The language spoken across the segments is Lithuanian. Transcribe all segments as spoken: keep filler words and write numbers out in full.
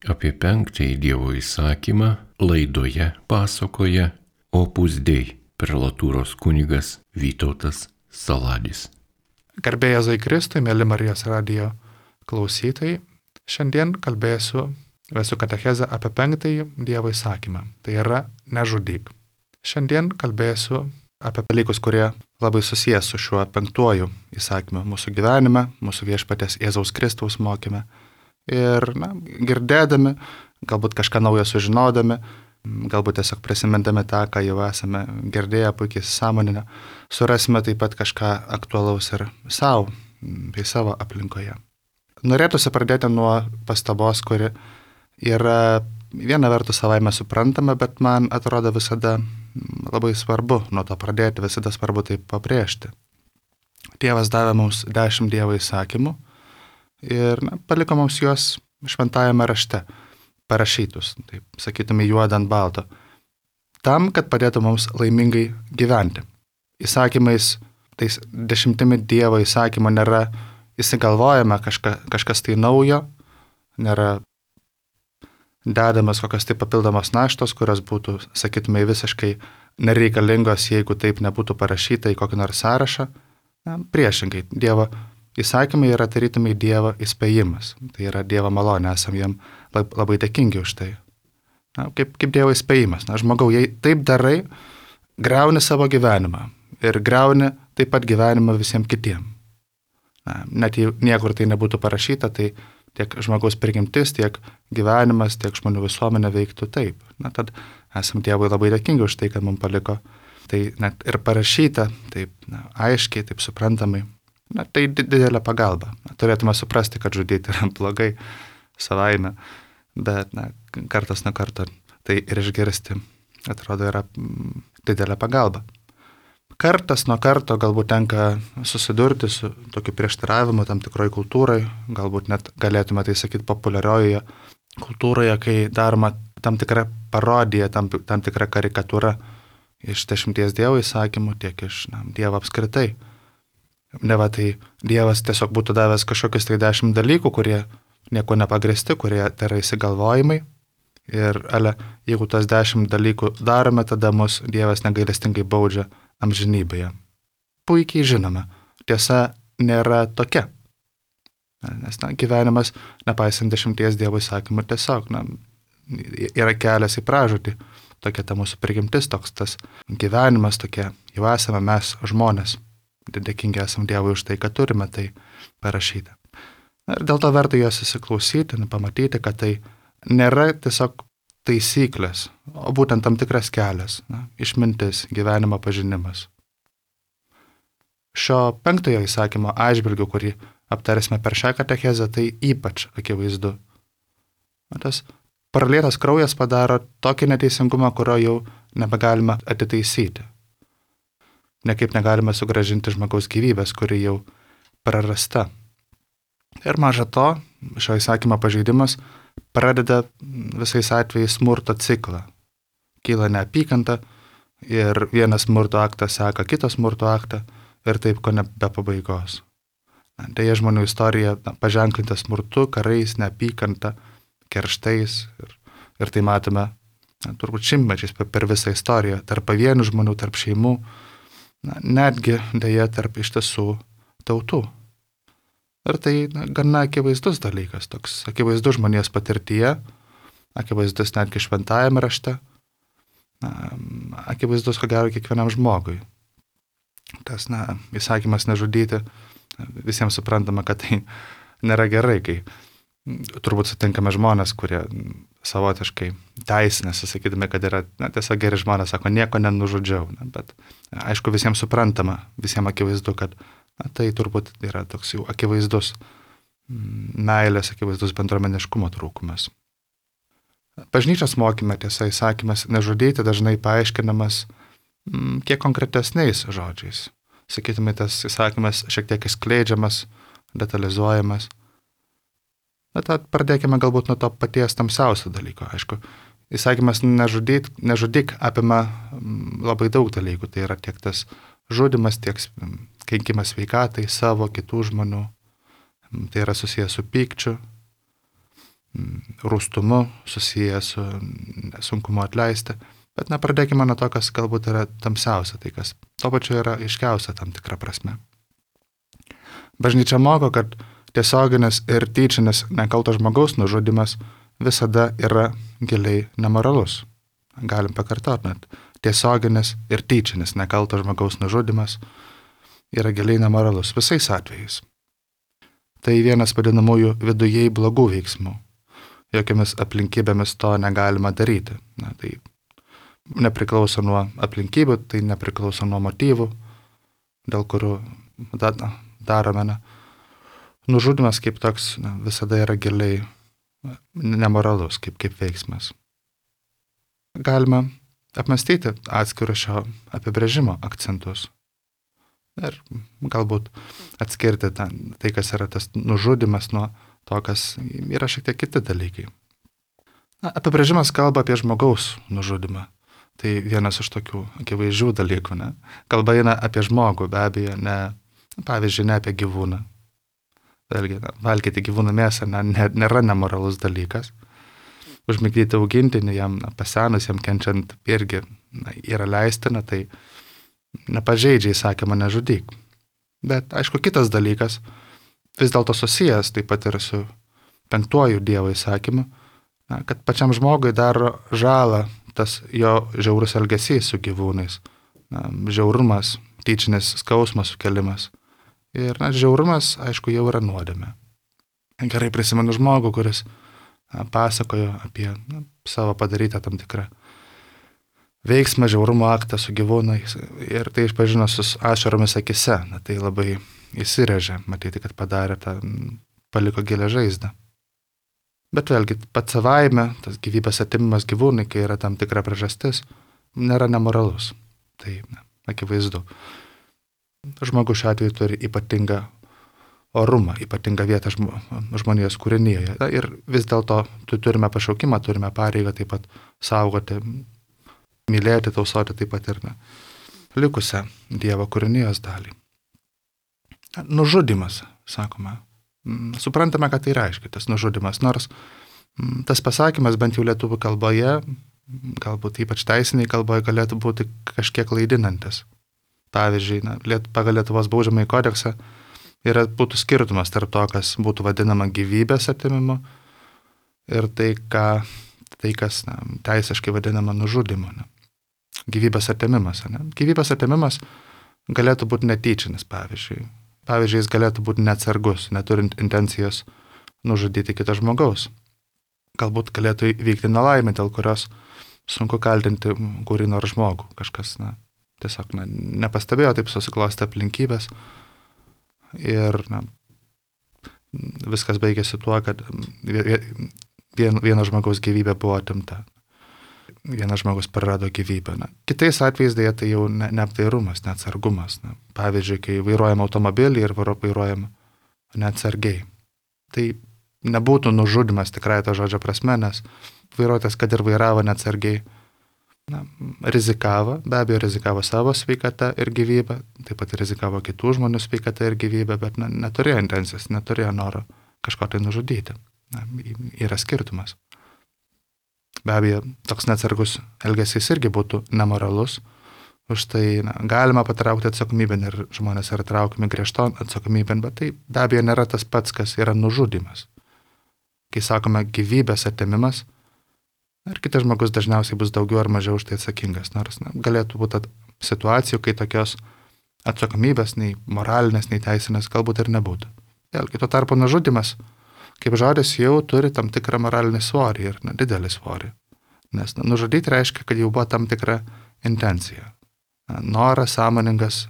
Apie penktąjį Dievo įsakymą laidoje pasakoja Opus Dei prelatūros kunigas Vytautas Saladis. Garbė Jėzui Kristui, mėly Marijos radijo klausytojai, šiandien kalbėsiu, vesiu katechezę apie penktąjį Dievo įsakymą. Tai yra nežudyk. Šiandien kalbėsiu apie dalykus, kurie labai susijęs su šiuo penktuoju įsakymu mūsų gyvenime, mūsų viešpaties Jėzaus Kristaus mokyme. Ir na, girdėdami, galbūt kažką naujo sužinodami, galbūt tiesiog prisimindami tą, ką jau esame girdėję, puikiai sąmoninę, surasime taip pat kažką aktualaus ir savo, bei savo aplinkoje. Norėtųsi pradėti nuo pastabos, kuri yra viena vertus savaime suprantama, bet man atrodo visada labai svarbu nuo to pradėti, visada svarbu tai pabrėžti. Dievas davė mums dešimt Dievo įsakymų ir na, paliko mums juos šventajame rašte, parašytus, taip sakytume, juodą ant balto, tam, kad padėtų mums laimingai gyventi. Įsakymais, tais dešimtimi Dievo įsakymų nėra įsigalvojama kažka, kažkas tai naujo, nėra dedamas kokios tai papildomos naštos, kurios būtų, sakytume, visiškai nereikalingos, jeigu taip nebūtų parašyta į kokį nors sąrašą. Na, priešingai, Dievo įsakymai yra tarytumai Dievo įspėjimas. Tai yra Dievo malonė, esam jam labai dėkingi už tai. Na, kaip, kaip Dievo įspėjimas. Na, žmogau, jei taip darai, griauni savo gyvenimą ir griauni taip pat gyvenimą visiems kitiem. Na, net jei niekur tai nebūtų parašyta, tai tiek žmogaus prigimtis, tiek gyvenimas, tiek žmonių visuomenė veiktų taip. Na, tad esam Dievui labai dėkingi už tai, kad mums paliko. Tai net ir parašyta taip na, aiškiai, taip suprantamai. Na, tai didelė pagalba. Na, turėtume suprasti, kad žudyti yra blogai savaime, bet na, kartas nuo karto tai ir išgirsti, atrodo, yra didelė pagalba. Kartas nuo karto galbūt tenka susidurti su tokiu prieštaravimu tam tikroj kultūrai, galbūt net galėtume tai sakyti populiariojoje kultūroje, kai daroma tam tikra parodija, tam, tam tikra karikatūra iš dešimties Dievo įsakymų, tiek iš na, Dievo apskritai. Ne va, tai Dievas tiesiog būtų davęs kažkokius tai dešimt dalykų, kurie nieko nepagrįsti, kurie tai yra įsigalvojimai. Ir ale, jeigu tas dešimt dalykų darome, tada mus Dievas negailestingai baudžia amžinybėje. Puikiai žinome, tiesa nėra tokia. Nes na, gyvenimas, nepaisant dešimties Dievo įsakymų, tiesiog na, yra kelias į pražūtį. Tokia ta mūsų prigimtis, toks tas gyvenimas, tokie jau esame mes žmonės. Dėkingi esam Dievui už tai, kad turime tai parašyti. Ir dėl to verta juos įsiklausyti, pamatyti, kad tai nėra tiesiog taisyklės, o būtent tam tikras kelias, na, išmintis, gyvenimo pažinimas. Šio penktojo įsakymo atžvilgiu, kurį aptarsime per šią katechezę, tai ypač akivaizdu. Tas pralietas kraujas padaro tokį neteisingumą, kurio jau nebegalima atitaisyti. Nekaip negalime sugrąžinti žmogaus gyvybės, kuri jau prarasta. Ir maža to, šio įsakymo pažeidimas pradeda visais atvejais smurto ciklą. Kyla neapykanta ir vienas smurto aktas seka kitą smurto aktą ir taip ko ne be pabaigos. Deja, žmonių istorija na, paženklinta smurtu, karais, neapykanta, kerštais ir, ir tai matome na, turbūt šimtmečiais per visą istoriją, tarp pavienių žmonių, tarp šeimų, na, netgi deja tarp iš tiesų tautų. Ir tai na, gana akivaizdus dalykas, toks akivaizdus žmonijos patirtyje, akivaizdus netgi šventajame rašte, na, akivaizdus ko gero kiekvienam žmogui. Tas na, įsakymas nežudyti, visiems suprantama, kad tai nėra gerai, kai turbūt sutinkame žmonės, kurie savotiškai teisinasi, sakydami, kad yra na, tiesiog geri žmonės, sako, nieko nenužudžiau. Na, bet aišku, visiems suprantama, visiems akivaizdu, kad na, tai turbūt yra toks jau akivaizdus meilės, akivaizdus bendruomeniškumo trūkumas. Bažnyčios mokyme, tiesa, įsakymas nežudyti dažnai paaiškinamas m, kiek konkretesniais žodžiais. Sakytume, tas įsakymas šiek tiek išskleidžiamas, detalizuojamas. Bet pradėkime galbūt nuo to paties tamsiausio dalyko. Aišku, įsakymas nežudyk, nežudyk apima labai daug dalykų. Tai yra tiek tas žudimas, tiek kenkimas sveikatai, savo, kitų žmonių. Tai yra susijęs su pykčiu. rūstumu, susijęs su sunkumu atleisti. Bet na, pradėkime nuo to, kas galbūt yra tamsiausia, tai kas to pačiu yra aiškiausia tam tikra prasme. Bažnyčia moko, kad tiesioginis ir tyčinis nekalto žmogaus nužudymas visada yra giliai nemoralus. Galim pakartoti, net tiesioginis ir tyčinis nekalto žmogaus nužudymas yra giliai nemoralus visais atvejais. Tai vienas vadinamųjų vidujei blogų veiksmų. Jokiamis aplinkybėmis to negalima daryti. Na, tai nepriklauso nuo aplinkybių, tai nepriklauso nuo motyvų, dėl kurių darome. Na. Nužudymas kaip toks na, visada yra giliai nemoralus kaip, kaip veiksmas. Galima apmastyti atskirų šio apibrėžimo akcentus ir galbūt atskirti tą, tai, kas yra tas nužudymas nuo to, kas yra šiek tiek kiti dalykai. Na, apibrėžimas kalba apie žmogaus nužudymą. Tai vienas iš tokių akivaizdžių dalykų. Ne? Kalba eina apie žmogų, be abejo, ne, pavyzdžiui, ne apie gyvūną. Vėlgi, na, valgyti gyvūnų mėsą na, ne, nėra nemoralus dalykas. Užmigdyti augintinį, jam na, pasenus, jam kenčiant irgi na, yra leistina, tai nepažeidžia įsakymą nežudyk. Bet, aišku, kitas dalykas, vis dėlto susijęs taip pat ir su penktuoju Dievo įsakymu, na, kad pačiam žmogui daro žalą tas jo žiaurus elgesys su gyvūnais, na, žiaurumas, tyčinis skausmas sukelimas. Ir na, žiaurumas, aišku, jau yra nuodėmė. Gerai prisimenu žmogų, kuris na, pasakojo apie na, savo padarytą tam tikrą veiksmą, žiaurumo aktą su gyvūnais ir tai išpažino su ašaromis akise. Na, tai labai įsirėžė, matyti, kad padarė tą, paliko gilią žaizdą. Bet vėlgi, pats savaime, tas gyvybės atimimas gyvūnai, kai yra tam tikra priežastis, nėra nemoralus. Tai na, akivaizdu. Žmogus šiuo atveju turi ypatingą orumą, ypatingą vietą žmonijos kūrinyje. Ir vis dėlto turime pašaukimą, turime pareigą taip pat saugoti, mylėti, tausoti taip pat ir ne, likusią Dievo kūrinijos dalį. Nužudymas, sakome. Suprantame, kad tai reiškia tas nužudymas, nors tas pasakymas bent jau lietuvių kalboje, galbūt ypač teisiniai kalboje, galėtų būti kažkiek klaidinantis. Pavyzdžiui, na, pagal Lietuvos baudžiamąjį kodeksą yra, būtų skirtumas tarp to, kas būtų vadinama gyvybės atimimu ir tai, ką, tai kas na, teisiškai vadinama nužudymu. Ne. Gyvybės atimimas. Ne. Gyvybės atimimas galėtų būti netyčinis, pavyzdžiui. Pavyzdžiui, jis galėtų būti neatsargus, neturint intencijos nužudyti kitą žmogaus. Galbūt galėtų įvykti nelaimė, dėl kurios sunku kaltinti kurį nors žmogų. Kažkas na, tiesiog na, nepastebėjo, taip susiklosti aplinkybės. Ir na, viskas baigėsi tuo, kad vien, vieno žmogaus gyvybė buvo atimta. Vienas žmogus prarado gyvybę. Na, kitais atvejais dėja tai jau ne, neapdairumas, neatsargumas. Na, pavyzdžiui, kai vairuojam automobilį ir vairuojam neatsargiai. Tai nebūtų nužudymas tikrai to žodžio prasme, nes vairuotojas, kad ir vairavo neatsargiai, na, rizikavo, be abejo rizikavo savo sveikatą ir gyvybę, taip pat rizikavo kitų žmonių sveikatą ir gyvybę, bet na, neturėjo intencijos, neturėjo noro kažko tai nužudyti. Na, yra skirtumas. Be abejo, toks neatsargus elgesys irgi būtų nemoralus, už tai na, galima patraukti atsakomybėn ir žmonės yra traukiami griežton atsakomybėn, bet tai be abejo nėra tas pats, kas yra nužudymas. Kai sakome gyvybės atėmimas, ir kitas žmogus dažniausiai bus daugiau ar mažiau už tai atsakingas, nors na, galėtų būti situacijų, kai tokios atsakomybės, nei moralinės, nei teisinės, galbūt ir nebūtų. Vėlgi, tuo tarpu nužudymas, kaip žodis, jau turi tam tikrą moralinį svorį ir na, didelį svorį. Nes na, nužudyti reiškia, kad jau buvo tam tikra intencija. Na, noras, sąmoningas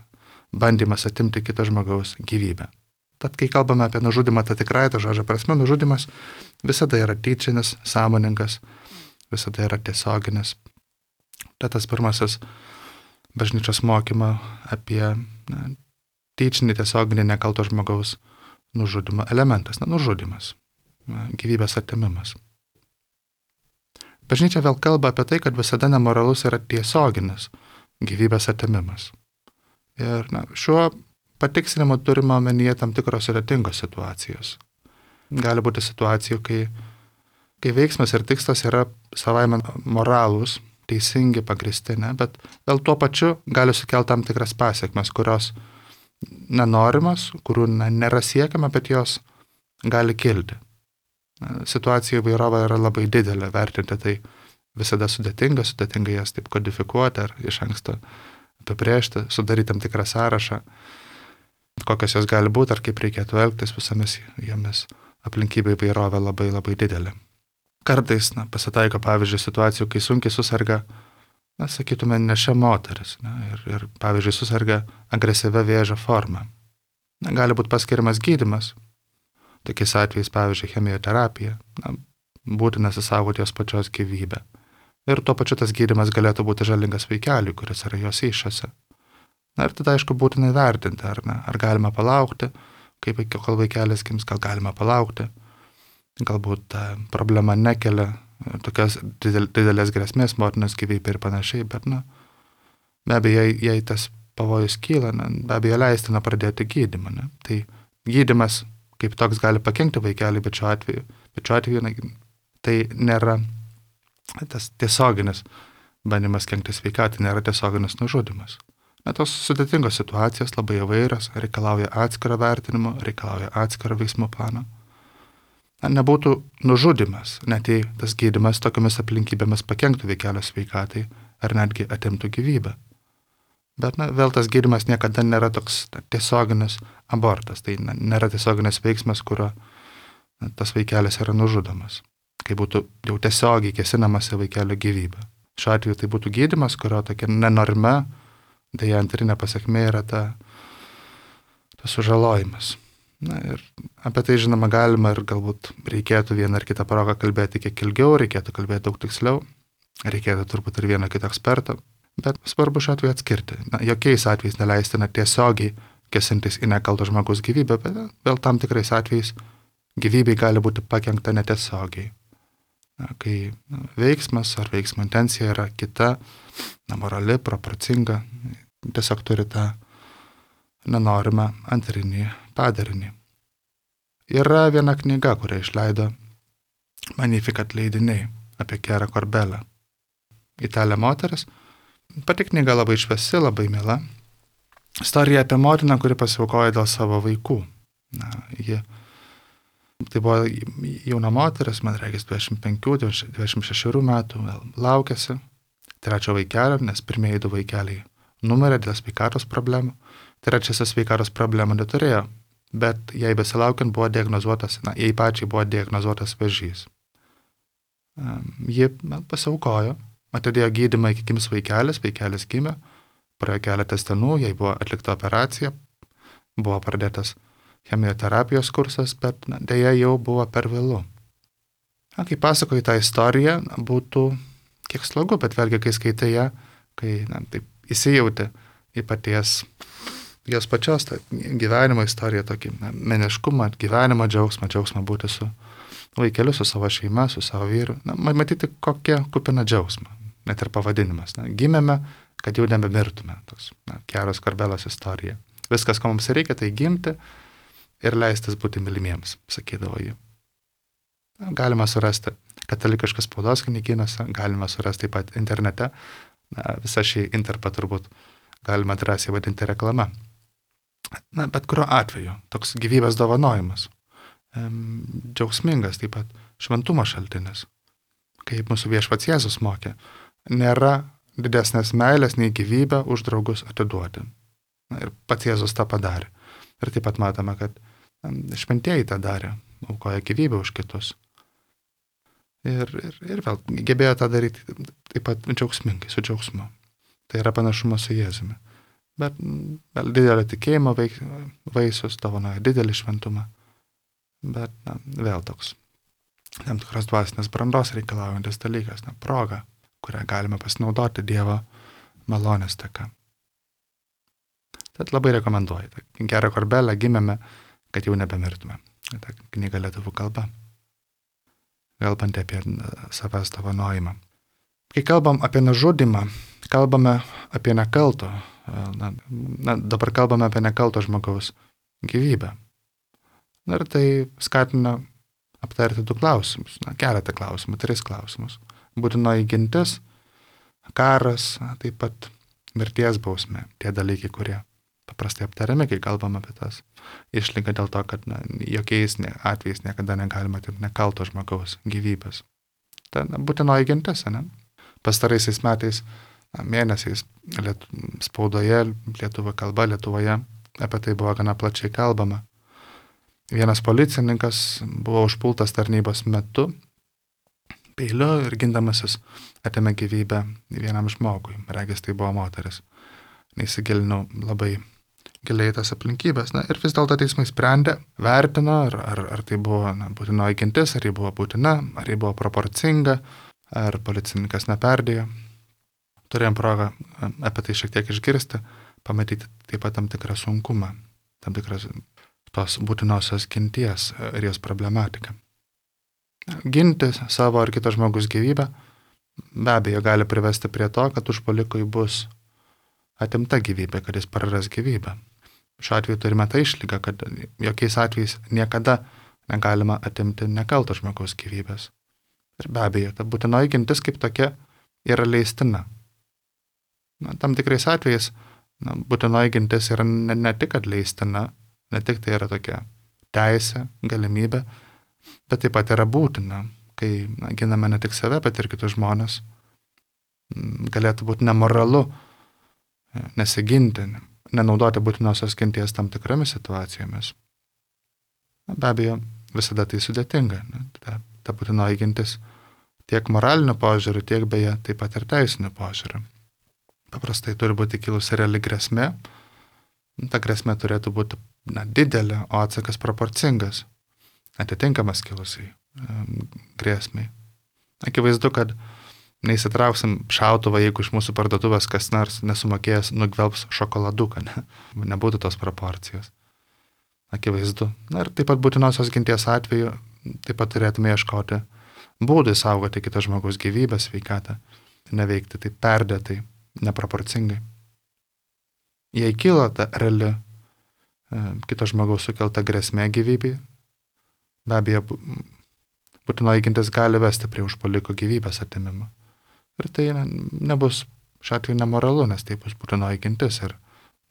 bandymas atimti kito žmogaus gyvybę. Tad, kai kalbame apie nužudymą, tai tikrai to žodžio prasme, nužudymas visada yra tyčinis, sąmoningas, visada yra tiesioginis. Tai tas pirmasis bažnyčios mokymo apie na, tyčinį, tiesioginį nekalto žmogaus nužudymo elementas, na, nužudymas, na, gyvybės atėmimas. Bažnyčia vėl kalba apie tai, kad visada nemoralus yra tiesioginis gyvybės atėmimas. Ir na, šiuo patikslinimu turime omenyje tam tikros sudėtingos situacijos. Gali būti situacijų, kai kai veiksmas ir tikslas yra savaime moralūs, teisingi, pagristi, ne, bet vėl tuo pačiu gali sukelti tam tikras pasiekmes, kurios nenorimas, kurių na, nėra siekiama, bet jos gali kilti. Situacija įvairovė yra labai didelė, vertinti tai visada sudėtinga, sudėtinga jas taip kodifikuoti ar iš anksto apibrėžti, sudaryti tam tikrą sąrašą, kokios jos gali būti ar kaip reikėtų elgtis visomis jomis. Aplinkybė įvairovė labai labai didelė. Kartais na, pasitaiko, pavyzdžiui, situacijų, kai sunkiai susirga, na, sakytume, nešia moteris na, ir, ir, pavyzdžiui, susirga agresyvia vėžio forma. Na, gali būti paskiriamas gydymas. Tokiais atvejais, pavyzdžiui, chemioterapija, na, būtina susaugoti jos pačios gyvybę. Ir tuo pačiu tas gydymas galėtų būti žalingas vaikeliui, kuris yra jos iššiose. Na ir tada, aišku, būtina įvertinti, ar, na, ar galima palaukti, kaip kol vaikelis gims, gal galima palaukti. Galbūt ta problema nekelia tokias didel, didelės grėsmės motinos gyvybei ir panašiai, bet, na, be abejo, jei, jei tas pavojus kyla, na, be abejo, leistina pradėti gydymą. Ne? Tai gydymas kaip toks gali pakenkti vaikeliui, bet šiuo atveju, bet šiuo atveju na, tai nėra tas tiesioginis bandymas kenkti sveikatai, nėra tiesioginis nužudymas. Na, tos sudėtingos situacijos labai įvairios, reikalauja atskiro vertinimo, reikalauja atskiro veiksmų plano. Na, nebūtų nužudymas, net jei tas gydymas tokiamis aplinkybėmis pakenktų vaikelio sveikatai ar netgi atimtų gyvybę. Bet na, vėl tas gydymas niekada nėra toks na, tiesioginis abortas, tai na, nėra tiesioginis veiksmas, kurio na, tas vaikelis yra nužudomas, kai būtų jau tiesiogiai kėsinamas į vaikelio gyvybę. Šiuo atveju tai būtų gydymas, kurio tokia nenorma, dėja antrinė pasekmė yra ta, tas sužalojimas. Na ir apie tai, žinoma, galima ir galbūt reikėtų vieną ar kitą progą kalbėti kiek ilgiau, reikėtų kalbėti daug tiksliau, reikėtų turbūt ir vieną kitą ekspertą, bet svarbu šiuo atveju atskirti. Na, jokiais atvejais neleistina tiesiogiai kėsintis į nekalto žmogaus gyvybę, bet vėl tam tikrais atvejais gyvybei gali būti pakenkta netiesiogiai. Na, kai na, veiksmas ar veiksmo intencija yra kita, na, morali, proporcinga, tiesiog turi tą nenorimą antrinį padarinį. Yra viena knyga, kurią išleido Magnificat leidiniai apie Chiara Corbella. Italė moteris. Pati knyga labai šviesi, labai miela. Istorija apie motiną, kuri pasiaukojo dėl savo vaikų. Na, ji, tai buvo jauna moteris, man reikės dvidešimt penkių dvidešimt šešių metų, vėl laukėsi trečio vaikelio, nes pirmieji du vaikeliai numirė dėl sveikatos problemų. Trečiasis sveikatos problemų neturėjo, bet jai besilaukiant buvo diagnozuotas, na, jai pačiai buvo diagnozuotas vėžys. Ji na, pasiaukojo, atidėjo gydymą iki gims vaikelis, vaikelis gimė, praėjo keletas dienų, jai buvo atlikta operacija, buvo pradėtas chemioterapijos kursas, bet na, dėja jau buvo per vėlu. Na, kai pasakoju tą istoriją, na, būtų kiek slogu, bet vėlgi, kai skaitai ją, kai na, taip įsijauti į paties jos pačios tą gyvenimo istoriją, tokį na, meniškumą, gyvenimo džiaugsmą, džiaugsmą būti su vaikeliu, su savo šeima, su savo vyru. Na, matyti, kokia kupina džiaugsma, net ir pavadinimas. Na, gimėme, kad jau nebemirtume. Toks, na, Chiaros Corbelos istorija. Viskas, ko mums reikia, tai gimti ir leistis būti mylimiems, sakydavo ji. Na, galima surasti katalikiškas spaudos knygynuose, galima surasti taip pat internete. Na, visą šį interpą turbūt galima drąsiai vadinti reklama. Na, bet kuriuo atveju toks gyvybės dovanojimas, ehm, džiaugsmingas, taip pat šventumo šaltinis, kaip mūsų viešpats Jėzus mokė, nėra didesnės meilės nei gyvybę už draugus atiduoti. Na, ir pats Jėzus tą padarė. Ir taip pat matome, kad šventieji tą darė, aukoja gyvybę už kitus. Ir, ir, ir vėl gebėjo tą daryti taip pat džiaugsmingai, su džiaugsmu. Tai yra panašumas su Jėzumi. Bet vėl didelio tikėjimo vaisius dovanoja didelį šventumą. Bet na, vėl toks tam tikros dvasinės brandos reikalaujantis dalykas, na, proga, kurią galime pasinaudoti Dievo malonės dėka. Tad labai rekomenduoju. Chiara Corbella gimėme, kad jau nebemirtume. Ta knyga lietuvių kalba. Kalbant apie savęs dovanojimą. Kai kalbam apie nužudymą, kalbame apie nekalto, na, na, dabar kalbame apie nekalto žmogaus gyvybę. Ir tai skatina aptarti du klausimus, na, keletą klausimų, tris klausimus. Būtinoji gintis, karas, na, taip pat mirties bausmė, tie dalykai, kurie paprastai aptariami, kai kalbam apie tas išlygą dėl to, kad na, jokiais atvejais niekada negalima atimti nekalto žmogaus gyvybės. Ta na, būtinoji gintis, ne? Pastaraisiais metais, na, mėnesiais liet, spaudoje, lietuvių kalba Lietuvoje apie tai buvo gana plačiai kalbama. Vienas policininkas buvo užpultas tarnybos metu peiliu ir gindamasis atėmė gyvybę vienam žmogui. Regis tai buvo moteris. Neįsigilinau labai giliai tas aplinkybės. Na, ir vis dėlto teismai sprendė, vertino, ar, ar, ar tai buvo na, būtinoji gintis, ar ji buvo būtina, ar ji buvo proporcinga, ar policininkas neperdėjo. Turėjom progą apie tai šiek tiek išgirsti, pamatyti taip pat tam tikrą sunkumą, tam tikras tos būtinosios ginties ir jos problematiką. Ginti savo ar kito žmogus gyvybę be abejo gali privesti prie to, kad užpuolikui bus atimta gyvybė, kad jis praras gyvybę. Šiuo atveju turime tą išlygą, kad jokiais atvejais niekada negalima atimti nekalto žmogaus gyvybės. Ir be abejo, ta būtinoji gintis kaip tokia yra leistina. Na, tam tikrais atvejais na, būtinoji gintis yra ne, ne tik atleistina, ne tik tai yra tokia teisė, galimybė, bet taip pat yra būtina, kai na, giname ne tik save, bet ir kitus žmonės. Galėtų būti nemoralu nesiginti, nenaudoti būtinosios ginties tam tikromis situacijomis. Na, be abejo, visada tai sudėtinga. Ne? Ta, ta būtinoji gintis tiek moraliniu požiūriu, tiek beje taip pat ir teisiniu požiūriu. Paprastai turi būti kilusi reali grėsmė. Ta grėsmė turėtų būti na, didelė, o atsakas proporcingas, atitinkamas kilusiai um, grėsmiai. Akivaizdu, kad neįsitrauksim šautuvą, jeigu iš mūsų parduotuvės kas nors nesumokėjęs nugvelbs šokoladuką, ne? Nebūtų tos proporcijos. Akivaizdu. Na ir taip pat būtinosios ginties atveju taip pat turėtume ieškoti būdai saugoti kito žmogaus gyvybę, sveikatą, neveikti taip perdėtai, neproporcingai. Jei kyla ta reali e, kito žmogaus sukelta grėsmė gyvybei, be abejo, būtinoji gintis gali vesti prie užpuoliko gyvybės atimimo. Ir tai ne, nebus šiuo atveju nemoralu, nes tai bus būtinoji gintis ir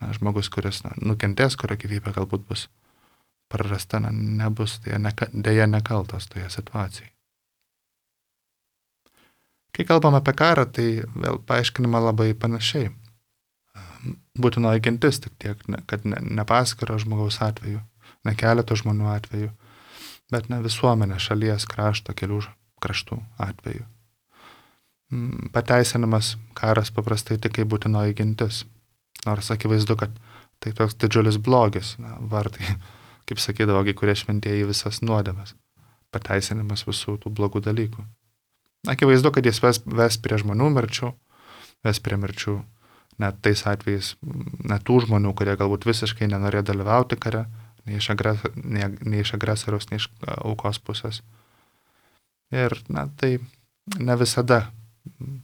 na, žmogus, kuris na, nukentės, kurio gyvybė galbūt bus prarasta, na, nebus dėja neka, nekaltas toje situacijoje. Kai kalbam apie karą, tai vėl paaiškinama labai panašiai. Būtinoji gintis tik tiek, kad ne, ne paskiro žmogaus atveju, ne keleto žmonių atveju, bet ne visuomenė, šalies, krašto, kelių kraštų atveju. Pateisinamas karas paprastai tik kaip būtinoji gintis, nors akivaizdu, kad tai toks didžiulis blogis, na, vartai, kaip sakydavo, kai kurie šventieji visas nuodėmes, pateisinimas visų tų blogų dalykų. Akivaizdu, kad jis ves, ves prie žmonių mirčių, ves prie mirčių net tais atvejais, net tų žmonių, kurie galbūt visiškai nenorėjo dalyvauti kare, nei iš, agres, nei, nei iš agresoriaus, nei iš aukos pusės. Ir na, tai ne visada,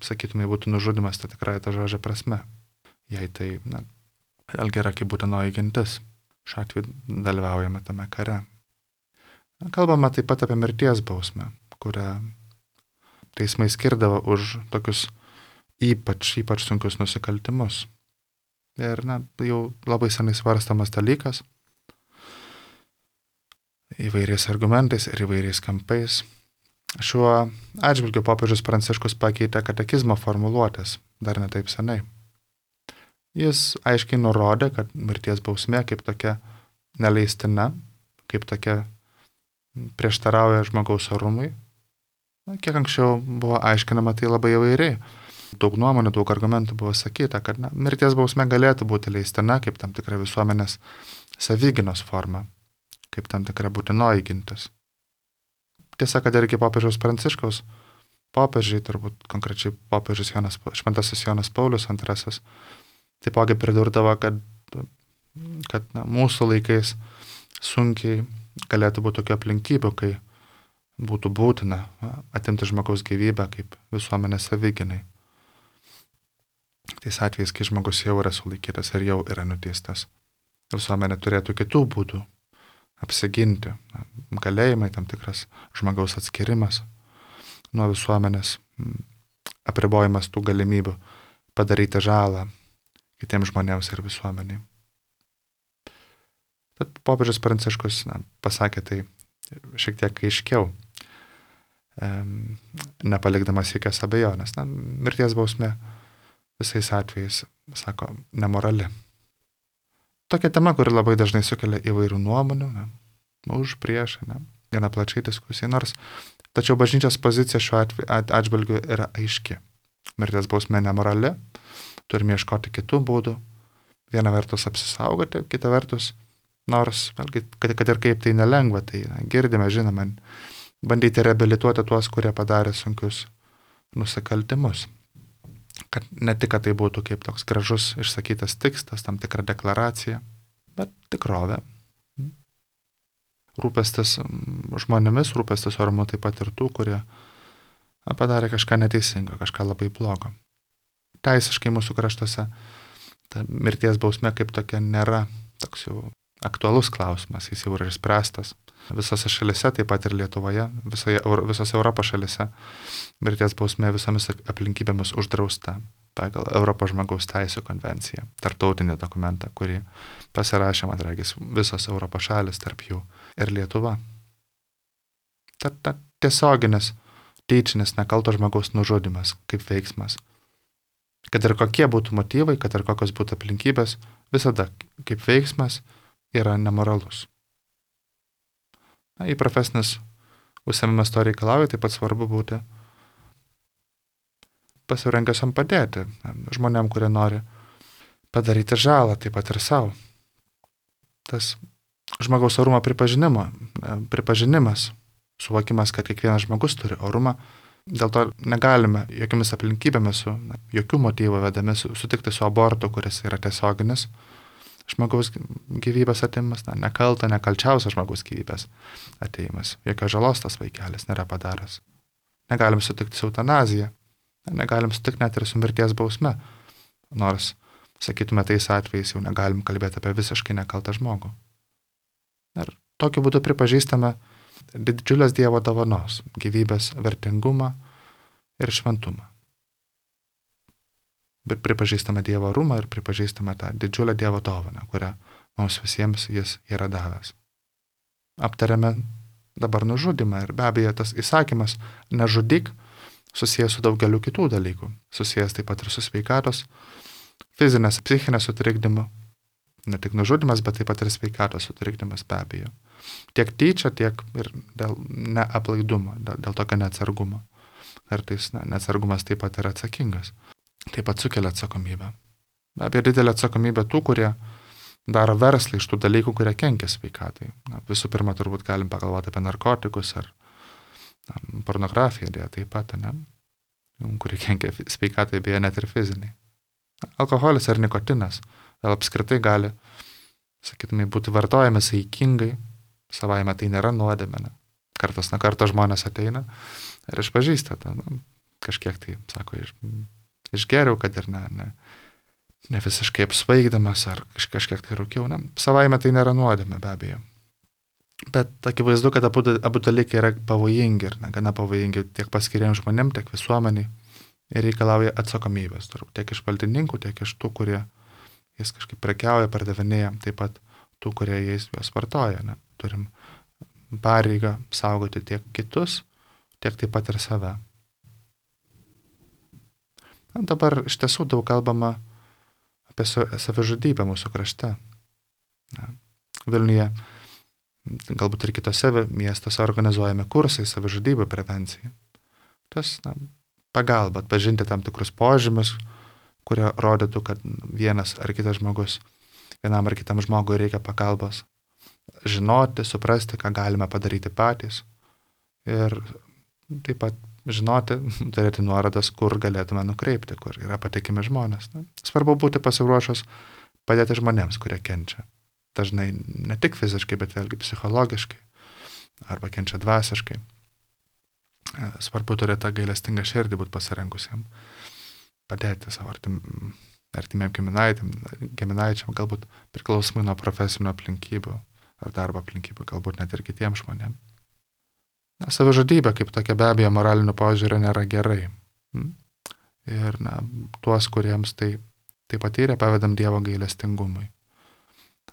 sakytumai, būtų nužudymas, tai tikrai ta žodžio prasme. Jei tai, na, vėlgi yra kaip būtinoji gintis. Šiuo atveju dalyvaujame tame kare. Kalbame taip pat apie mirties bausmę, kurią teismai skirdavo už tokius ypač, ypač sunkius nusikaltimus. Ir, na, jau labai senai svarstamas dalykas, įvairiais argumentais ir įvairiais kampais. Šiuo atžvilgiu popiežius Pranciškus pakeitė katekizmo formuluotės dar ne taip senai. Jis aiškiai nurodė, kad mirties bausmė kaip tokia neleistina, kaip tokia prieštarauja žmogaus orumui. Kiek anksčiau buvo aiškinama tai labai įvairiai. Daug nuomonių, daug argumentų buvo sakyta, kad na, mirties bausmė galėtų būti leistina kaip tam tikra visuomenės savigynos forma, kaip tam tikra būtinoji gintis. Tiesa, kad ir iki popiežiaus Pranciškaus, popiežiai, turbūt konkrečiai popiežius Jonas, šventasis Jonas Paulius antrasis, taipogi pridurdavo, kad, kad na, mūsų laikais sunkiai galėtų būti tokių aplinkybių, kai būtų būtina atimti žmogaus gyvybę kaip visuomenės savigynai. Tais atvejais, kai žmogus jau yra sulaikytas ir jau yra nuteistas. Visuomenė turėtų kitų būdų apsiginti. Galėjimai, tam tikras žmogaus atskirimas nuo visuomenės, apribojimas tų galimybių padaryti žalą kitiems žmonėms ir visuomeniai. Tad popiežius Pranciškus na, pasakė tai šiek tiek aiškiau, e, nepalikdamas jokios abejonės. Na, mirties bausmė visais atvejais, sako, nemorali. Tokia tema, kuri labai dažnai sukelia įvairių nuomonių, ne, už, prieš, ne, gana plačiai diskusijai, nors tačiau bažnyčios pozicija šiuo atžvilgiu yra aiški. Mirties bausmė nemorali, turime ieškoti kitų būdų, viena vertus apsisaugoti, kita vertus, nors, kad, kad ir kaip tai nelengva, tai na, girdime, žinoma, bandyti reabilituoti tuos, kurie padarė sunkius nusikaltimus. Kad ne tik, kad tai būtų kaip toks gražus išsakytas tikslas, tam tikra deklaracija, bet tikrovė. Rūpestis žmonėmis, rūpestis orumu taip pat ir tų, kurie padarė kažką neteisingo, kažką labai blogo. Teisiškai mūsų kraštuose ta mirties bausmė kaip tokia nėra toks jau aktualus klausimas, jis jau yra išspręstas. Visose šalise, taip pat ir Lietuvoje, visoje, visose Europos šalise mirties bausmė visomis aplinkybėmis uždrausta pagal Europos žmogaus teisių konvenciją, tarptautinį dokumentą, kurį pasirašė, man regis, visos Europos šalis, tarp jų ir Lietuva. Ta, ta tiesioginis, tyčinis, nekalto žmogaus nužudymas kaip veiksmas. Kad ir kokie būtų motyvai, kad ir kokios būtų aplinkybės, visada kaip veiksmas yra nemoralus. Na, į profesinis užsiėmimas to reikalauja, taip pat svarbu būti pasirengusiam padėti žmonėm, kurie nori padaryti žalą, taip pat ir savo. Tas žmogaus orumo pripažinimo, pripažinimas, suvokimas, kad kiekvienas žmogus turi orumą, dėl to negalime jokiamis aplinkybėmis, su na, jokių motyvų vedami sutikti su abortu, kuris yra tiesioginis žmogaus gyvybės atėjimas, na, nekalta, nekalčiausias žmogaus gyvybės atėjimas. Jokios žalos tas vaikelis nėra padaręs. Negalim sutikti su eutanazija, negalim sutikti net ir su mirties bausme, nors, sakytume, tais atvejais jau negalim kalbėti apie visiškai nekaltą žmogų. Ir tokiu būdu pripažįstame didžiulės Dievo dovanos, gyvybės vertingumą ir šventumą. Bet pripažįstame Dievo orumą ir pripažįstame tą didžiulę Dievo dovaną, kurią mums visiems jis yra davęs. Aptarėme dabar nužudymą ir be abejo tas įsakymas nežudyk susijęs su daugeliu kitų dalykų, susijęs taip pat ir su sveikatos, fizinės, psichinės sutrikdymu, ne tik nužudymas, bet taip pat ir sveikatos sutrikdymas be abejo. Tiek tyčia, tiek ir dėl neaplaidumo, dėl, dėl tokio neatsargumo. Kartais ne, neatsargumas taip pat yra atsakingas. Taip pat sukelia atsakomybę. Apie didelę atsakomybę tų, kurie daro verslą iš tų dalykų, kurie kenkia sveikatai. Na, visų pirma, turbūt galim pagalvoti apie narkotikus ar na, pornografiją, dėja taip pat, ne? Kurie kenkia sveikatai, beje, net ir fiziniai. Alkoholis ar nikotinas vėl apskritai gali, sakytumai, būti vartojami saikingai, savaime tai nėra nuodėmė. Ne? Kartas na kartą žmonės ateina ir išpažįsta, ta, na, kažkiek tai, sako, iš, išgeriau, kad ir ne, ne, ne visiškai apsvaigdamas ar kaž, kažkiek tai rūkiau. Ne? Savaime tai nėra nuodėmė, be abejo. Bet akivaizdu, kad abu, abu dalykai yra pavojingi ir ne, gana pavojingi tiek paskiriems žmonėm, tiek visuomeniai ir reikalauja atsakomybės, tiek iš valdininkų, tiek iš tų, kurie jais kažkaip prekiauja, pardavinėja, taip pat tų, kurie jais juos vartoja. Ne? Turim pareigą saugoti tiek kitus, tiek taip pat ir save. Na, dabar iš tiesų daug kalbama apie savižudybę mūsų krašte. Na, Vilniuje, galbūt ir kitose miestuose organizuojami kursai savižudybių prevencijai. Tas na, pagalba atpažinti tam tikrus požymius, kurie rodytų, kad vienas ar kitas žmogus, vienam ar kitam žmogui reikia pagalbos. Žinoti, suprasti, ką galime padaryti patys. Ir taip pat žinoti, turėti nuorodas, kur galėtume nukreipti, kur yra patikimi žmonės. Na, svarbu būti pasiruošus padėti žmonėms, kurie kenčia. Dažnai ne tik fiziškai, bet vėlgi psichologiškai arba kenčia dvasiškai. Svarbu turėti tą gailestingą širdį, būti pasirengusiam padėti savo artim, artimiem giminaičiam, giminaičiam, galbūt priklausomai nuo profesinių aplinkybių, ar darbo aplinkybių, galbūt net ir kitiems žmonėms. Na, savižudybė kaip tokia be abejo moraliniu požiūriu nėra gerai. Ir na, tuos, kuriems tai, tai patyrė, pavedam Dievo gailestingumui.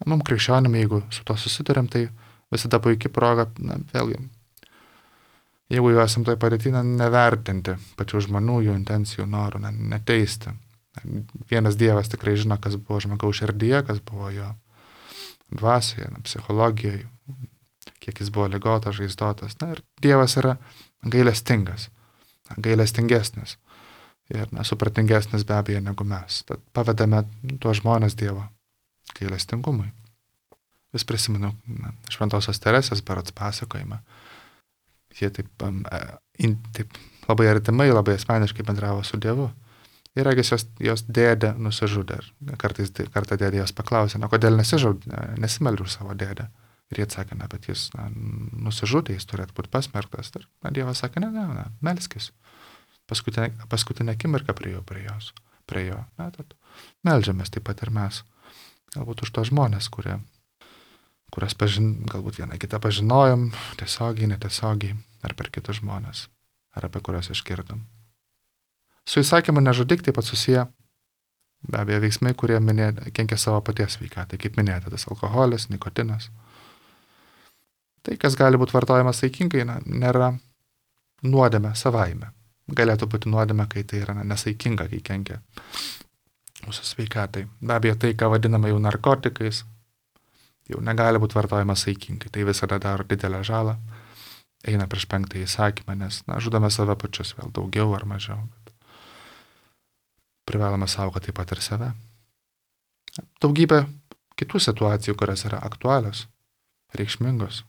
Mums krikščionim, jeigu su to susidurėm, tai visada puikiai proga, na, vėlgi, jeigu jau esam toj padėty, nevertinti pačių žmonių, jų intencijų, norų, na, neteisti. Vienas Dievas tikrai žino, kas buvo žmogaus širdyje, kas buvo jo dvasioje, na, psichologijoje, kiek jis buvo ligotas, žaizdotas. Na, ir Dievas yra gailestingas, gailestingesnis ir na, supratingesnis be abejo negu mes. Tad pavedame tuos žmonės Dievo gailestingumui. Vis prisimenu na, Šventosios Teresės berods pasakojimą. Jie taip, um, in, taip labai artimai, labai asmeniškai bendravo su Dievu. Ir regis jos, jos dėdė nusižudė. Kartais kartą dėdė jos paklausė, na, kodėl nesimeldė už savo dėdę. Ir jie atsakė, na, bet jis na, nusižudė, jis turėtų būti pasmerktas. Ir na, Dievas sakė, ne, ne, ne, melskis. Paskutinę, paskutinę akimirką prie jo, prie jos, prie jo. Na, tad meldžiamės taip pat ir mes. Galbūt už tos žmonės, kurie, kurias pažin, galbūt vieną kitą pažinojom, tiesiogiai, netiesiogiai, ar per kitus žmonės, ar apie kuriuos išgirdom. Su įsakymu nežudyk taip pat susiję, be abejo, veiksmai, kurie minė, kenkia savo paties sveikatai, kaip minėjote, tas alkoholis, nikotinas. Tai, kas gali būti vartojamas saikingai, na, nėra nuodėmė savaime. Galėtų būti nuodėmė, kai tai yra na, nesaikinga, kai kenkia mūsų sveikatai. Be abejo, tai, ką vadiname jau narkotikais, jau negali būti vartojamas saikingai. Tai visada daro didelę žalą, eina prieš penktąjį įsakymą, nes na, žudome save pačius vėl daugiau ar mažiau. Privalome saugoti taip pat ir save. Daugybė kitų situacijų, kurios yra aktualios, reikšmingos.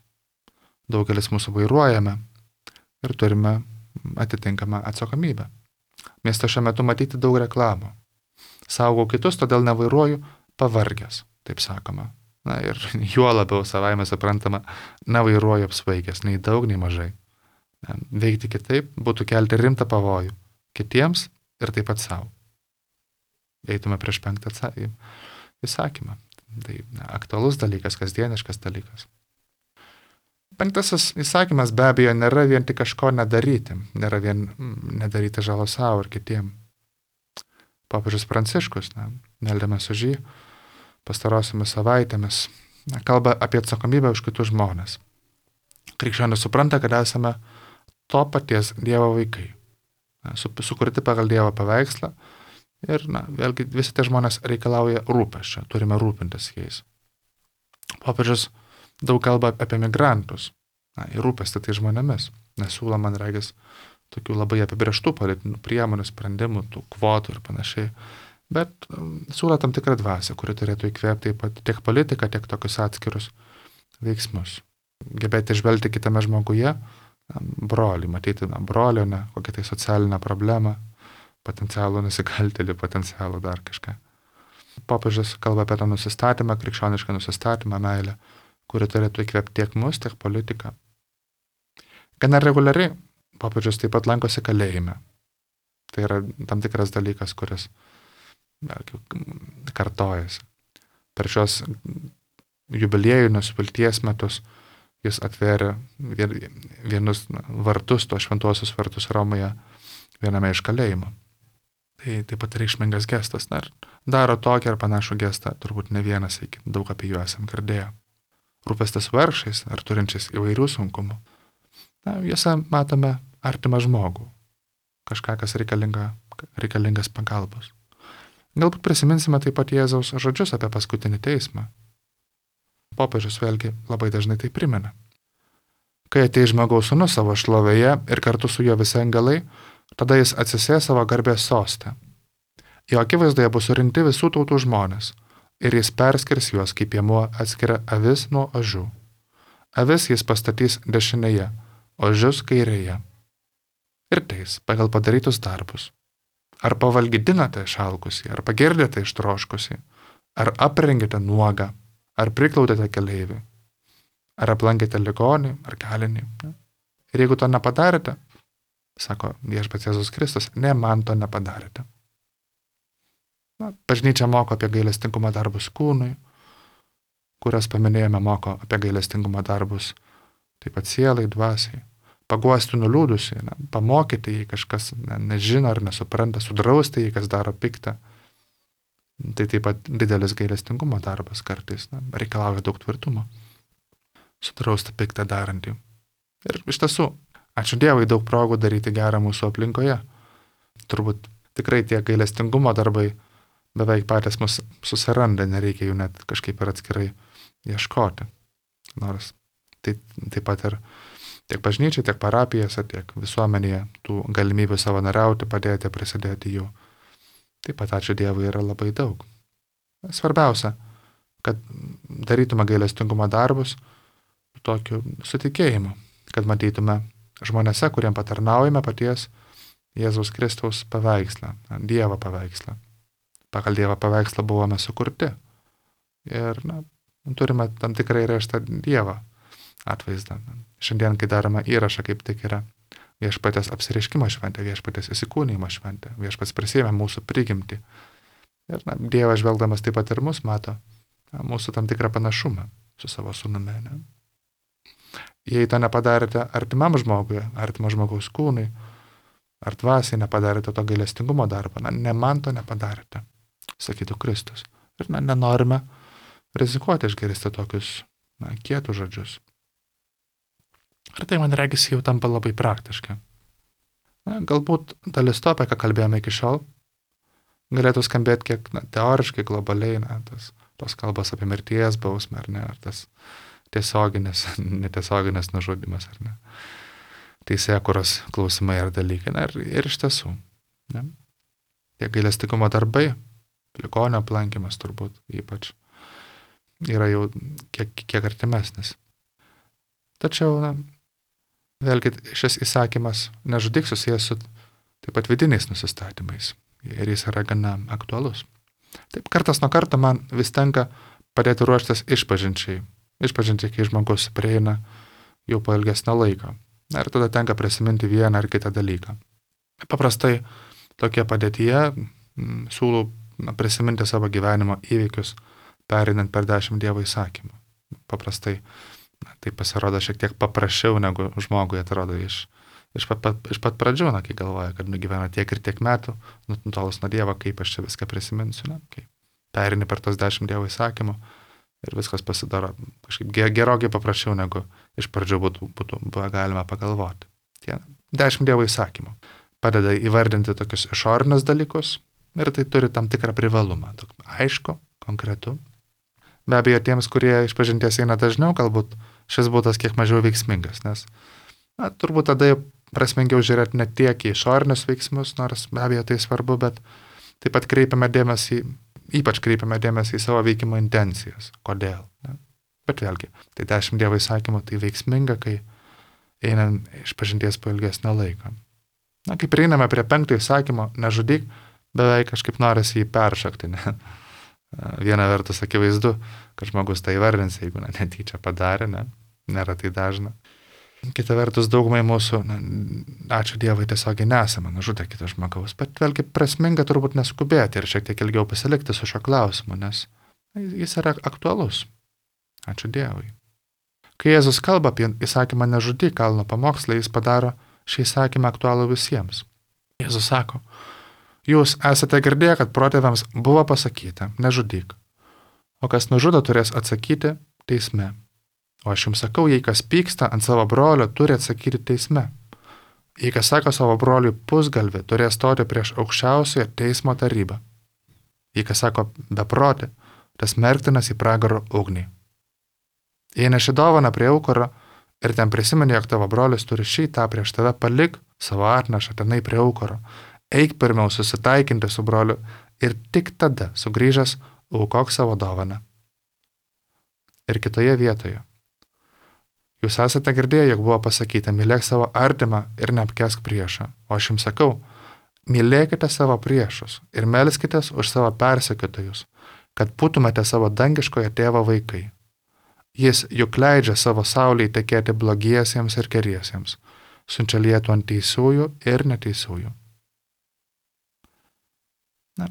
Daugelis mūsų vairuojame ir turime atitinkamą atsakomybę. Mieste šiuo metu matyti daug reklamų. Saugau kitus, todėl nevairuoju pavargęs, taip sakoma. Na ir juo labiau savaime suprantama, nevairuoju apsvaigęs, nei daug, nei mažai. Veikti kitaip būtų kelti rimtą pavojų kitiems ir taip pat savo. Eitume prieš penktą įsakymą. Tai na, aktualus dalykas, kasdieniškas dalykas. Penktasis įsakymas be abejo nėra vien tik kažko nedaryti, nėra vien nedaryti žalo savo ir kitiem. Popiežius Pranciškus, na, meldėmės už jį, pastarosiomis savaitėmis, na, kalba apie atsakomybę už kitus žmonės. Krikščionis supranta, kad esame to paties Dievo vaikai, na, su, sukurti pagal Dievo paveikslą. Ir, na, vėlgi, visi tie žmonės reikalauja rūpesčio, turime rūpintis jais. Popiežius daug kalba apie migrantus, na, ir rūpestį tai žmonėmis, nesiūlo, man regis, tokių labai apibrėžtų politinių priemonių, sprendimų, tų kvotų ir panašiai, bet um, siūlo tam tikrą dvasią, kuri turėtų įkvėpti tiek politiką, tiek tokius atskirus veiksmus. Gebėti žvelgti kitame žmoguje, brolį, matyti na, brolio, ne, kokią tai socialinę problemą, potencialų nusikaltėlį, potencialų dar kažką. Popiežius kalba apie tą nusistatymą, krikščionišką nusistatymą, meilę, kuri turėtų įkvėpti tiek mus, tiek politiką. Gana reguliariai popiežius taip pat lankosi kalėjime. Tai yra tam tikras dalykas, kuris kartojasi. Per šios jubiliejinius vilties metus jis atvėrė vienus vartus, to šventuosius vartus Romoje, viename iš kalėjimų. Tai taip pat reikšmingas gestas. Na, daro tokį ar panašų gestą, turbūt ne vienas, iki daug apie jų esam girdėję. Rūpestis vargšais ar turinčiais įvairių sunkumų. Na, juose matome artimą žmogų. Kažką, kas reikalinga, reikalingas pagalbos. Galbūt prisiminsime taip pat Jėzaus žodžius apie paskutinį teismą. Popiežius vėlgi labai dažnai tai primena. Kai ateis žmogaus sūnus savo šlovėje ir kartu su juo visi angelai, tada jis atsisės savo garbės sostą. Jo akivaizdoje bus surinkti visų tautų žmonės ir jis perskirs juos, kaip piemuo atskiria avis nuo ožių. Avis jis pastatys dešinėje, ožius kairėje. Ir teis pagal padarytus darbus. Ar pavalgydinate išalkusį, ar pagirdėte ištroškusį, ar aprengėte nuogą, ar priklaudėte keleivį, ar aplankėte ligonį, ar kalinį. Ir jeigu to nepadarėte, sako viešpats Jėzus Kristus, ne man to nepadarėte. Na, bažnyčia moko apie gailestingumą darbus kūnui, kurias paminėjome, moko apie gailestingumo darbus, taip pat sielai, dvasiai. Paguosti nuliūdusi, ne, pamokyti, jei kažkas ne, nežino ar nesupranta, sudrausti, jei kas daro piktą. Tai taip pat didelis gailestingumo darbas kartais, ne, reikalauja daug tvirtumo. Sudrausti piktą darantį. Ir iš tiesų, ačiū Dievui, daug progų daryti gerą mūsų aplinkoje. Turbūt tikrai tie gailestingumo darbai beveik patys mus susiranda, nereikia jų net kažkaip ir atskirai ieškoti. Nors tai taip pat ir tiek bažnyčiai, tiek parapijose, tiek visuomenėje tų galimybių savanoriauti, padėti, prisidėti jų. Taip pat ačiū Dievui yra labai daug. Svarbiausia, kad darytume gailestingumo darbus tokiu sutikėjimu, kad matytume žmonėse, kuriem patarnaujame paties Jėzaus Kristaus paveikslą, Dievo paveikslą. Pagal Dievo paveikslą buvome sukurti. Ir na, turime tam tikrai reštą Dievą atvaizdą. Šiandien, kai darome įrašą, kaip tik yra viešpatės apsireiškimo šventė, viešpatės įsikūnijimo šventė, viešpats prisėmė mūsų prigimtį. Ir na, Dievas žvelgdamas taip pat ir mus mato, na, mūsų tam tikrą panašumą su savo sūnumi. Ne? Jei to nepadarėte artimam žmogui, artimo žmogaus kūnui, ar dvasiai nepadarėte to gailestingumo darbą, na, ne man to nepadarėte, sakytų Kristus. Ir na, nenorime rizikuoti išgirsti tokius na, kietus žodžius. Ir tai, man regis, jau tampa labai praktiška. Na, galbūt dalis to, apie ką kalbėjome iki šiol, galėtų skambėti kiek na, teoriškai, globaliai, na, tas, tos kalbos apie mirties bausmę, ar ne, ar tas tiesioginis, netiesioginis nužudymas, ar ne, teisėkūros klausimai ar dalykai. Na, ir, ir iš tiesų, ne, tie gailestingumo darbai, ligonio aplankymas turbūt ypač, yra jau kiek, kiek artimesnis. Tačiau, na, vėlgi šis įsakymas nežudyk susijęs su taip pat vidiniais nusistatymais ir jis yra gana aktualus. Taip, kartas nuo karto man vis tenka padėti ruoštis išpažinčiai. Išpažinčiai, kai žmogus prieina jau po ilgesnio laiko. Na, ir tada tenka prisiminti vieną ar kitą dalyką. Paprastai tokie padėtyje m, siūlau na, prisiminti savo gyvenimo įvykius, perinant per dešimt Dievo įsakymų. Paprastai na, tai pasirodo šiek tiek paprasčiau, negu žmogui atrodo iš, iš, pat, pat, iš pat pradžių, na, kai galvoja, kad nugyvena tiek ir tiek metų, nutolus nuo Dievo, kaip aš čia viską prisiminsiu, na, kai perini per tos dešimt Dievo įsakymų ir viskas pasidaro kažkaip gerokai paprasčiau, negu iš pradžių būtų, būtų buvo galima pagalvoti. Tie dešimt Dievo įsakymų padeda įvardinti tokius išorinius dalykus ir tai turi tam tikrą privalumą, aišku, konkretu. Be abejo, tiems, kurie išpažinties eina dažniau, galbūt šis būdas kiek mažiau veiksmingas, nes na, turbūt tada prasmingiau žiūrėti ne tiek į išorinius veiksmus, nors be abejo tai svarbu, bet taip pat kreipiame dėmesį, ypač kreipiame dėmesį į savo veikimo intencijas. Kodėl? Ne? Bet vėlgi, tai dešimt Dievo įsakymų tai veiksminga, kai einam išpažinties po ilgesnio laiko. Na, kai prieiname prie penkto įsakymo, nežudyk, beveik kažkaip norisi jį peršakti, ne? Viena vertus akivaizdu, kad žmogus tai įvardins, jeigu na, netyčia padarė, ne? Nėra tai dažna. Kita vertus, daugumai mūsų, na, ačiū Dievui, tiesiogiai nesame nužudę kito žmogaus, bet vėlgi prasminga turbūt neskubėti ir šiek tiek ilgiau pasilikti su šio klausimu, nes jis yra aktualus. Ačiū Dievui. Kai Jėzus kalba apie įsakymą nežudyk kalno pamokslą, jis padaro šį įsakymą aktualų visiems. Jėzus sako, jūs esate girdėję, kad protėviams buvo pasakyta, nežudyk, o kas nužudo turės atsakyti teisme. O aš jums sakau, jei kas pyksta ant savo brolio, turi atsakyti teisme. Jei kas sako savo broliui pusgalvį, turės stoti prieš aukščiausiąją teismo tarybą. Jei kas sako beprotį, tas merktinas į pragaro ugnį. Jei neši dovaną prie aukuro ir ten prisimeni, jog tavo brolis turi šį tą prieš tave, palik savo atnašą tenai prie aukuro. Eik pirmiau susitaikinti su broliu ir tik tada, sugrįžęs, aukok savo dovaną. Ir kitoje vietoje. Jūs esate girdėję, jog buvo pasakyta, mylėk savo artimą ir neapkesk priešą. O aš jums sakau, mylėkite savo priešus ir melskitės už savo persekiotojus, kad būtumėte savo dangiškojo tėvo vaikai. Jis juk leidžia savo saulei tekėti blogiesiems ir geriesiems, siunčia lietų ant teisiųjų ir neteisiųjų. Na,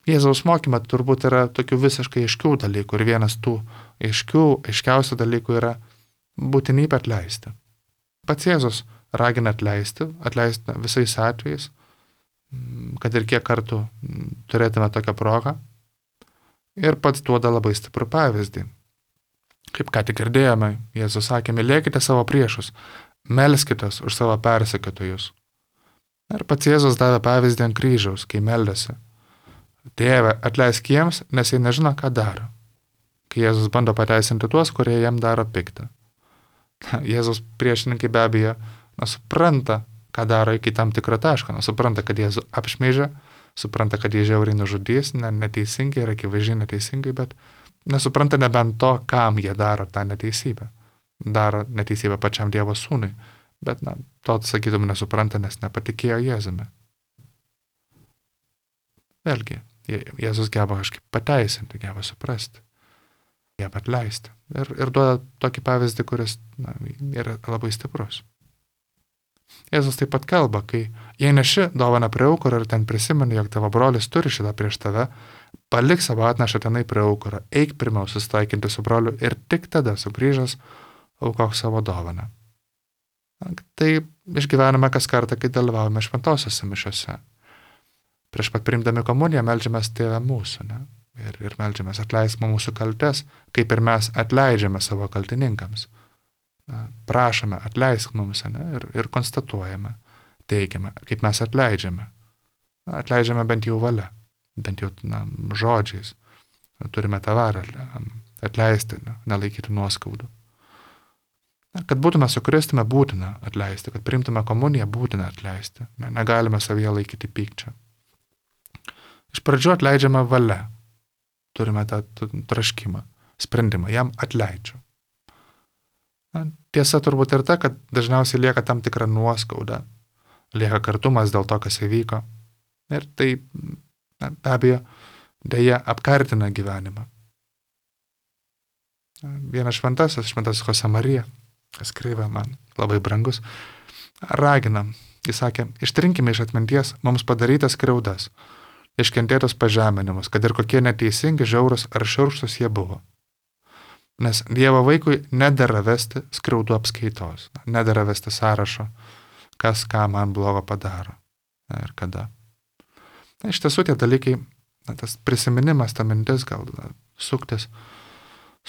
Jėzaus mokyme turbūt yra tokių visiškai aiškių dalykų ir vienas tų aiškių, aiškiausių dalykų yra būtinybė atleisti. Pats Jėzus ragina atleisti, atleisti visais atvejais, kad ir kiek kartų turėtume tokią progą. Ir pats duoda labai stiprų pavyzdį. Kaip ką tik girdėjome, Jėzus sakė, mylėkite savo priešus, melskitės už savo persekiotojus. Ir pats Jėzus davė pavyzdį ant kryžiaus, kai meldėsi. Tėve, atleisk jiems, nes jie nežino, ką daro. Kai Jėzus bando pateisinti tuos, kurie jam daro piktą. Jėzus priešininkai be abejo na, supranta, ką daro iki tam tikro taško. Na, supranta, kad Jėzų apšmeižia, supranta, kad jie žiauriai nužudys, ne, neteisingai ir akivaizdžiai neteisingai, bet nesupranta nebent to, kam jie daro tą neteisybę. Daro neteisybę pačiam Dievo sūnui, bet na, to, sakytum, nesupranta, nes nepatikėjo Jėzumi. Vėlgi, Jėzus geba kažkaip pateisinti, geba suprasti, geba atleisti. Ir, ir duoda tokį pavyzdį, kuris na, yra labai stiprus. Jėzus taip pat kalba, kai jei neši dovaną prie aukuro ir ten prisimeni, jog tavo brolis turi šitą prieš tave, palik savo atnašą tenai prie aukuro, eik pirmiau susitaikinti su broliu ir tik tada sugrįžęs aukok savo dovaną. Tai išgyvename kas kartą, kai dalyvaujame šventosiose mišiose. Prieš pat priimdami komuniją meldžiamės Tėve mūsų, ne? Ir, ir meldžiamės atleisk mūsų kaltes, kaip ir mes atleidžiame savo kaltininkams. Prašome, atleisk mums, ne? Ir, ir konstatuojame, teigiame, kaip mes atleidžiame. Atleidžiame bent jau valia, bent jau na, žodžiais. Turime tą varą atleisti, ne? Nelaikyti nuoskaudų. Kad būtume su Kristumi, būtina atleisti, kad priimtume komuniją, būtina atleisti. Negalime savyje laikyti pykčio. Iš pradžių atleidžiame valia. Turime tą traškimą, sprendimą, jam atleidžiu. Na, tiesa turbūt ir ta, kad dažniausiai lieka tam tikra nuoskauda, lieka kartumas dėl to, kas įvyko. Ir tai, na, be abejo, dėja apkartina gyvenimą. Vienas šventasis, šventasis Josemarija, kas kreivė man labai brangus, ragina, jis sakė, ištrinkime iš atminties mums padarytas skriaudas, iškentėtos pažeminimus, kad ir kokie neteisingi, žiaurūs ar šiurkštūs jie buvo. Nes Dievo vaikui nedera vesti skriaudų apskaitos, nedera vesti sąrašo, kas ką man blogo padaro ir kada. Na, iš tiesų tie dalykai, na, tas prisiminimas, ta mintis gal na, suktis,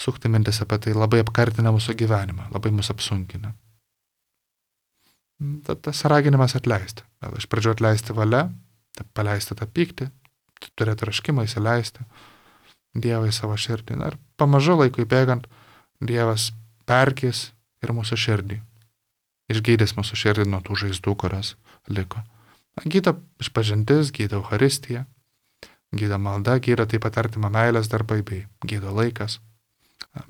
sukti mintis apie tai labai apkartina mūsų gyvenimą, labai mūsų apsunkina. Tas raginimas atleisti. Gal iš pradžių atleisti valia, paleisti tą pyktį, turėti raškimą, įsileisti Dievą į savo širdį. Ir pamažu laikui bėgant, Dievas perkės ir mūsų širdį. Išgydys mūsų širdį nuo tų žaizdų, kurios liko. Gydo išpažintis, gydo Eucharistija, gydo malda, gydo taip pat artima meilės darbai bei gydo laikas.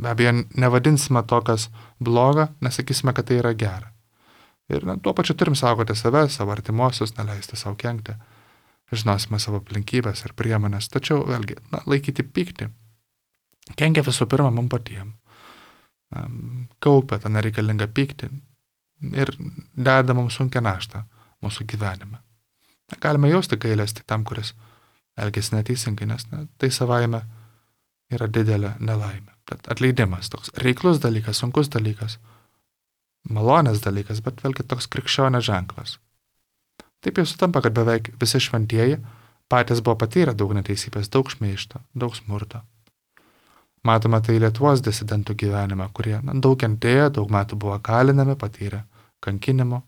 Be abejo, nevadinsime to, kas bloga, nesakysime, kad tai yra gera. Ir na, tuo pačiu turim saugoti save, savo artimuosius, neleisti savo kenkti. Žinosime savo aplinkybės ir priemonės, tačiau vėlgi, na, laikyti pyktį. Kenkia visų pirma mums patiems. Kaupia tą nereikalingą pyktį ir deda mums sunkią naštą mūsų gyvenime. Galime jausti gailestį tam, kuris elgiasi neteisingai, nes na, tai savaime yra didelė nelaimė. Tad atleidimas toks reiklus dalykas, sunkus dalykas, malonės dalykas, bet vėlgi toks krikščionio ženklas. Taip jau sutampa, kad beveik visi šventieji patys buvo patyrę daug neteisybės, daug šmeižto, daug smurto. Matome tai Lietuvos disidentų gyvenime, kurie na, daug kentėjo, daug metų buvo kalinami, patyrė kankinimo.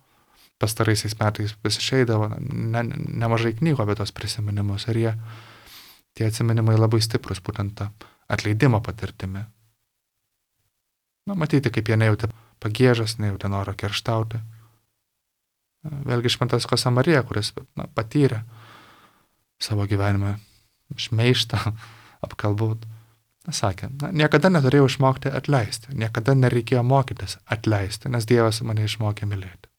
Pastaraisiais metais vis išeidavo ne, nemažai knygų apie tos prisiminimus ir jie, tie atsiminimai labai stiprus, būtent tą atleidimo patirtimi. Na, matyti, kaip jie nejautė pagiežas, nejautė noro kerštauti. Vėlgi šventas Josemarija, kuris na, patyrė savo gyvenime šmeižtą, apkalbūt, sakė, na, niekada neturėjau išmokti atleisti, niekada nereikėjo mokytis atleisti, nes Dievas mane išmokė mylėti.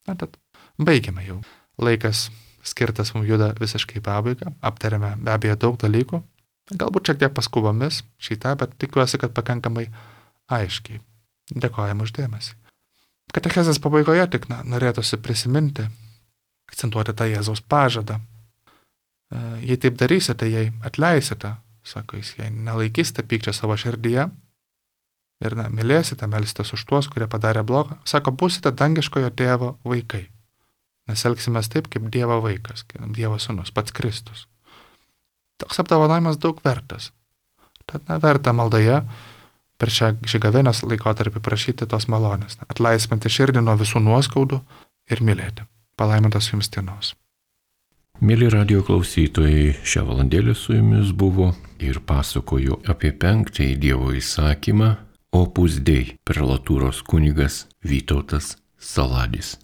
Na, tad baigėme jau. Laikas skirtas mums juda visiškai pabaigą, aptarėme be abejo daug dalykų, galbūt šiek tiek paskubomis šitą, bet tikiuosi, kad pakankamai aiškiai. Dėkojame už dėmesį. Katechezės pabaigoje tik na, norėtųsi prisiminti, akcentuoti tą Jėzaus pažadą. Jei taip darysite, jei atleisite, sako jis, jei nelaikysite pykčio savo širdyje ir na, mylėsite, melsitės už tuos, kurie padarė blogą, sako, būsite dangiškojo tėvo vaikai. Nes elgsimės taip, kaip Dievo vaikas, kaip Dievo sūnus, pats Kristus. Toks apdovanojimas daug vertas. Tad na, verta maldoje per šią, šį gavėnios laikotarpį prašyti tos malonės, atlaisvinti širdį nuo visų nuoskaudų ir mylėti. Palaimintos jums dienos. Mėly radio klausytojai, šią valandėlę su jumis buvo ir pasakoju apie penktąjį Dievo įsakymą Opus Dei, prelatūros kunigas Vytautas Saladis.